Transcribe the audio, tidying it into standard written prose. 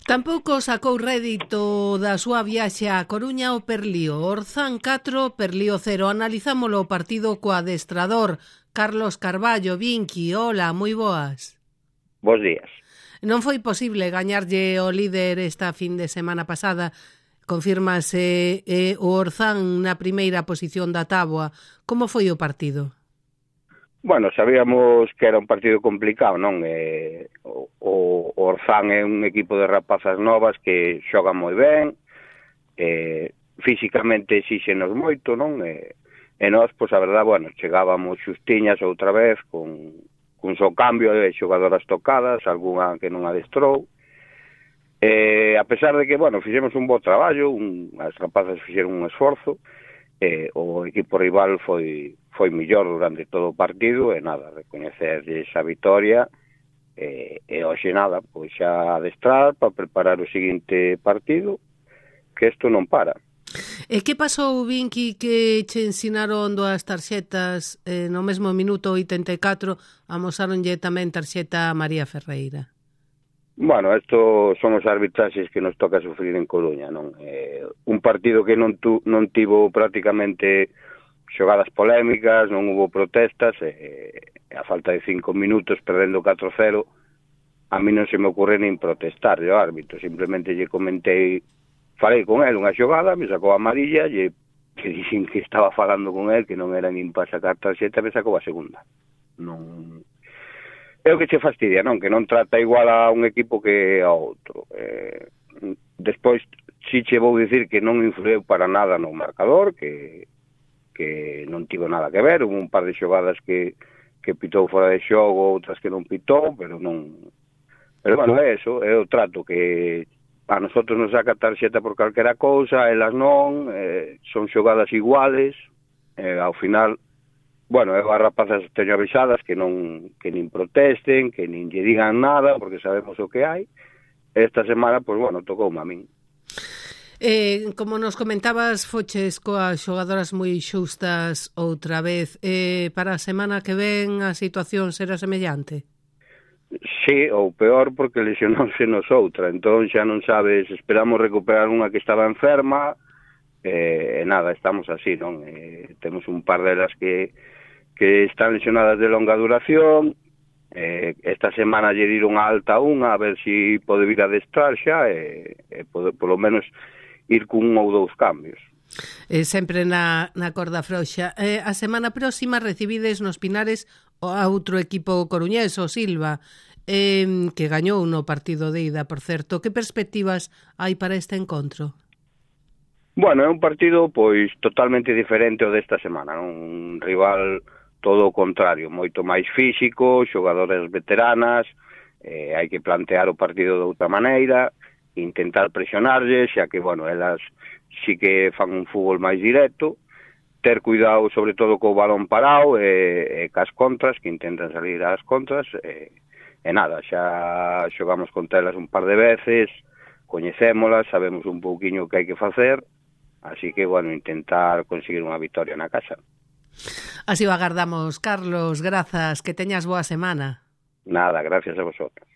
Tampouco sacou rédito da súa viaxe á Coruña o Perlío. Orzán 4, Perlío 0. Analizámolo o partido co adestrador Carlos Carballo. Vinqui, hola, moi boas. Bos días. Non foi posible gañarlle o líder esta fin de semana pasada. Confírmase o Orzán na primeira posición da táboa. Como foi o partido? Bueno, sabíamos que era un partido complicado, non? O Orzán é un equipo de rapazas novas que xoga moi ben, físicamente exíxenos moito, non? E nós, pois a verdad, bueno, chegábamos xustiñas outra vez con só cambio de xogadoras tocadas, algunha que non adestrou. A pesar de que, bueno, fixemos un bo traballo, as rapazas fixeron un esforzo, o equipo rival foi mellor durante todo o partido e nada, recoñecerlle esa vitoria e hoxe nada, pois xa adestrar para preparar o seguinte partido, que isto non para. E que pasou, Vinqui, que che ensinaron dúas tarxetas no mesmo minuto 84, amosáronlle tamén tarxeta a María Ferreira? Bueno, isto son os arbitraxes que nos toca sufrir en Coruña, non? Un partido que non tivo prácticamente xogadas polémicas, non hubo protestas, a falta de 5 minutos perdendo 4-0, a mí non se me ocurre nin protestar ao árbitro, simplemente lle comentei, falei con el unha xogada, me sacou a amarilla, que dixen que estaba falando con el, que non era nin para sacar tarxeta, me sacou a segunda. Non... É o que che fastidia, non? Que non trata igual a un equipo que a outro. Despois, si che vou dicir que non influeu para nada no marcador, que non tivo nada que ver, hubo un par de xogadas que pitou fora de xogo, outras que non pitou, pero non... Pero, bueno, é eso, é o trato que a nosotros nos saca tarxeta por calquera cousa, elas non, son xogadas iguales, ao final... Bueno, eu as rapazas teño avisadas que nin protesten, que nin lle digan nada, porque sabemos o que hai. Esta semana, pois, bueno, tocoume a min. Como nos comentabas, foches coas xogadoras moi xustas outra vez. Para a semana que ven a situación será semellante? Sí, ou peor, porque lesionouse nos outra. Entón xa non sabes, esperamos recuperar unha que estaba enferma, nada, estamos así, non? Temos un par delas que están lesionadas de longa duración, esta semana lle dieron a alta unha, a ver se pode vir a adestrar xa, polo menos ir cun ou dous cambios. Sempre na corda frouxa. A semana próxima recibides nos Pinares a outro equipo coruñés, o Silva, que gañou no partido de ida, por certo. Que perspectivas hai para este encontro? Bueno, é un partido pois totalmente diferente ao desta semana, non? Un rival todo o contrario, moito máis físico, xogadoras veteranas, hai que plantear o partido de outra maneira, intentar presionarlles, xa que, bueno, elas sí que fan un fútbol máis directo, ter cuidado sobre todo co balón parado e cas contras, que intentan salir ás contras, e nada, xa xogamos contra elas un par de veces, coñecémolas, sabemos un pouquiño o que hai que facer, así que, bueno, intentar conseguir unha victoria na casa. Así o agardamos, Carlos, grazas, que teñas boa semana. Nada, gracias a vosotros.